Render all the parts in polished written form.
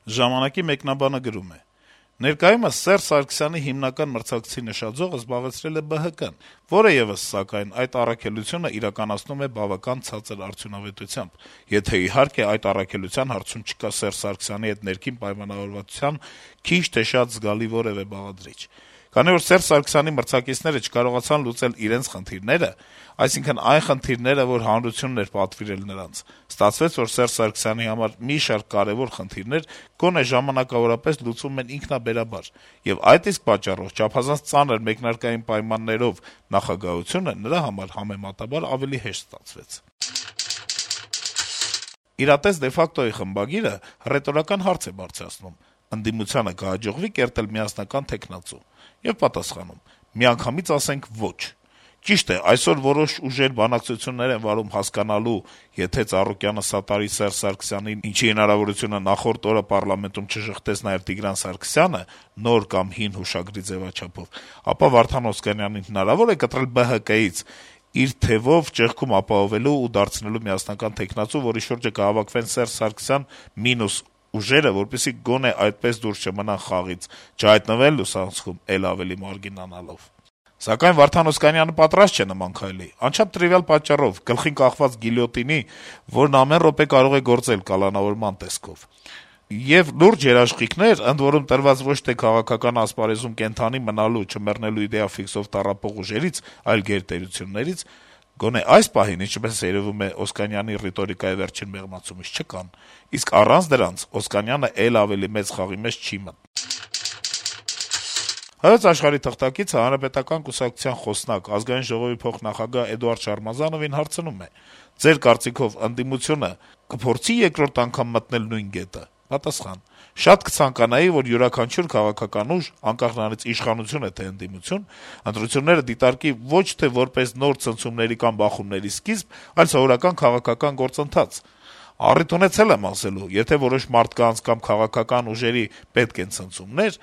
Ժամանակի մեկնաբանը գրում է. - «Ներկայումս Սերժ Սարգսյանի հիմնական մրցակցի նշաձողը զբաղեցրել է ԲՀԿ-ն, որը եւս, սակայն, այդ առաքելությունը իրականացնում է բավական ցածր արդյունավետությամբ, եթե, իհարկե, այդ առաքելության հարցում չկա Սերժ Սարգսյանի հետ ներքին պայմանավորվածության քիչ թե շատ զգալի որեւէ բաղադրիչ։ Քանի որ Սերժ Սարգսյանի մրցակիցները չկարողացան լուծել իրենց խնդիրները, այսինքն այն խնդիրները, որ հանրությունն էր պատվիրել նրանց, ստացվեց, որ Սերժ Սարգսյանի համար մի շարք կարեւոր խնդիրներ գոնե ժամանակավորապես լուծվում են ինքնաբերաբար, եւ այդ իսկ պատճառով չափազանց ծանր մեկնարկային պայմաններով նախագահությունը նրա համար համեմատաբար ավելի հեշտ ստացվեց»։ «Իրատես de facto-ի» խմբագիրը հռետորական հարց է բարձրացնում. - «Ընդդիմությանը կհաջողվի կերտել միասնական թեկնածու»։ Եվ պատասխանում. - «Միանգամից ասենք ոչ։ Ճիշտ է, այսօր որոշ ուժեր բանակցություններ են վարում հասկանալու, եթե Ծառուկյանը սատարի Սերժ Սարգսյանին, ինչի հնարավորությունը նախորդ օրը պառլամենտում չժխտեց նաեւ Տիգրան Սարգսյանը, նոր կամ հին հուշագրի ձեւաչափով, ապա Վարդան Օսկանյանին հնարավոր է կտրել ԲՀԿ-ից իր թեւով ճեղքում ապահովելու ու դարձնելու միասնական թեկնածու, որի շուրջը կհավաքվեն Սերժ Սարգսյան մինուս ուժերը, որպեսզի գոնե այդպես դուրս չմնան խաղից, չհայտնվեն լուսանցքում էլ ավելի մարգինանալով։ Սակայն Վարդան Օսկանյանը պատրաստ չէ նման քայլի, անչափ տրիվիալ պատճառով՝ գլխին կախված գիլյոտինի, որն ամեն րոպե կարող է գործել կալանավորման տեսքով։ Եվ լուրջ երաշխիքներ, ընդ որում տրված ոչ թե քաղաքական ասպարեզում կենդանի մնալու, չմեռնելու իդեա ֆիքսով տառապող ուժերից, այլ գերտերություններից, գոնե այս պահին, ինչպես երեւում է Օսկանյանի ռիտորիկայի վերջին մեղմացումից, չկան, իսկ առանց դրանց Օսկանյանը էլ ավելի մեծ խաղի մեջ չի մտնի»։ «Հայոց Աշխարհ»-ի թղթակիցը Հանրապետական կուսակցության խոսնակ, Ազգային ժողովի փոխնախագահ Էդուարդ Շարմազանովին հարցնում է. - «Ձեր կարծիքով ընդդիմությունը կփորձի երկրորդ անգամ մտնել նույն գետը»։ Պատասխան. - «Շատ կցանկանայի, որ յուրաքանչյուր քաղաքական ուժ, անկախ նրանից իշխանություն է թե ընդդիմություն, ընտրությունները դիտարկի ոչ թե որպես նոր ցնցումների կամ բախումների սկիզբ, այլ սովորական քաղաքական գործընթաց։ Առիթ ունեցել եմ ասելու, եթե որոշ մարդկանց կամ քաղաքական ուժերի պետք են ցնցումներ,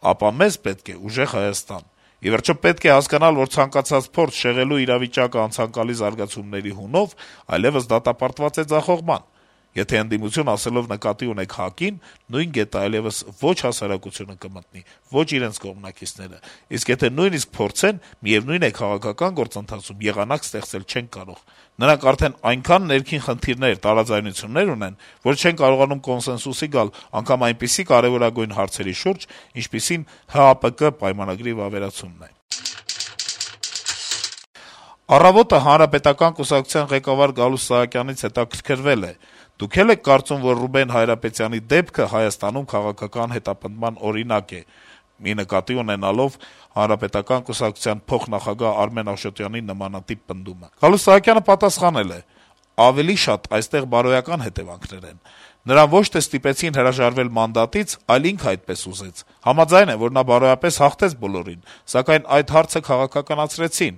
ապա մեզ պետք է ուժեղ Հայաստան։ Ի վերջո պետք է հասկանալ, որ ցանկացած փորձ շեղելու իրավիճակը անցանկալի զարգացումների հունով այլեւս դատապարտված է ձախողման։ Եթե ընդդիմություն ասելով նկատի ունեք ՀԱԿ-ին, նույն գետը այլեւս ոչ հասարակությունը կմտնի, ոչ իրենց կողմնակիցները, իսկ եթե նույնիսկ փորձեն, միեւնույն է քաղաքական գործընթացում եղանակ ստեղծել չեն կարող։ Նրանք արդեն այնքան ներքին խնդիրներ, տարաձայնություններ ունեն, որ չեն կարողանում կոնսենսուսի գալ անգամ այնպիսի կարեւորագույն հարցերի շուրջ, ինչպիսին ՀԱՊԿ պայմանագրի վավերացումն է»։ «Առավոտ»-ը Հանրապետական կուսակցության ղեկավար Գալուստ Սահակյանից հետաքրքրվել է. - «Դուք էլ եք կարծում, որ Ռուբեն Հայրապետյանի դեպքը Հայաստանում քաղաքական հետապնդման օրինակ է»։ Մի նկատի ունենալով Հանրապետական կուսակցության փոխնախագահ Արմեն Աշոտյանի նմանատիպ պնդումը։ Գալուստ Սահակյանը պատասխանել է. - «Ավելի շատ այստեղ բարոյական հետեւանքներ են։ Նրան ոչ թե ստիպեցին հրաժարվել մանդատից, այլ ինքը այդպես ուզեց։ Համաձայն եմ, որ նա բարոյապես հաղթեց բոլորին, սակայն այդ հարցը քաղաքականացրեցին»։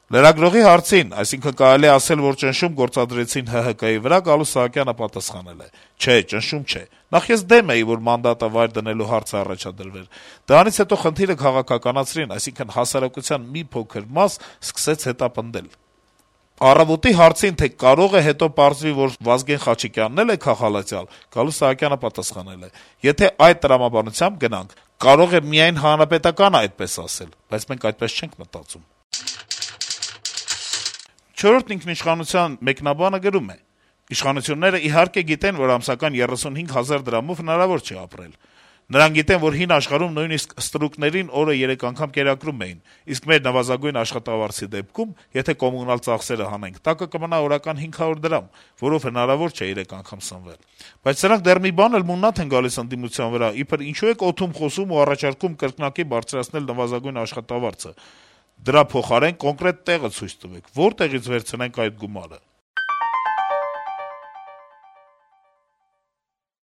Լրագրողի հարցին, այսինքն կարելի է ասել, որ ճնշում գործադրեցին ՀՀԿ-ի վրա, Գալուստ Սահակյանը պատասխանել է. - «Չէ, ճնշում չէ։ Նախ ես դեմ էի, որ մանդատը վայր դնելու հարցը առաջադրվեր։ Դրանից հետո խնդիրը քաղաքականացրին, այսինքն հասարակության մի փոքր մաս սկսեց հետապնդել»։ «Առավոտ»-ի հարցին, թե կարող է հետո պարզվի, որ Վազգեն Խաչիկյանն էլ է քաղհալածյալ, Գալուստ Սահակյանը պատասխանել է. - «Եթե այդ տրամաբանությամբ գնանք, կարող է միայն Հանրապետականը այդպես ասել, բայց մենք այդպես չենք մտածում»։ «Չորրորդ ինքնիշխանության» մեկնաբանը գրում է. - «Իշխանությունները իհարկե գիտեն, որ ամսական 35 հազար դրամով հնարավոր չէ ապրել։ Նրանք գիտեն, որ հին աշխարհում նույնիսկ ստրուկներին օրը 3 անգամ կերակրում էին, իսկ մեր նվազագույն աշխատավարձի դեպքում, եթե կոմունալ ծախսերը հանենք, տակը կմնա օրական 500 դրամ, որով հնարավոր չէ 3 անգամ սնվել։ Բայց սրանք դեռ մի բան էլ մուննաթ են գալիս ընդդիմության վրա, իբր ինչու եք օդում խոսում ու առաջարկում կրկնակի բարձրացնել նվազագույն աշխատավարձը։ Դրա փոխարեն կոնկրետ տեղը ցույց տվեք, որտեղից վերցնենք այդ գումարը»։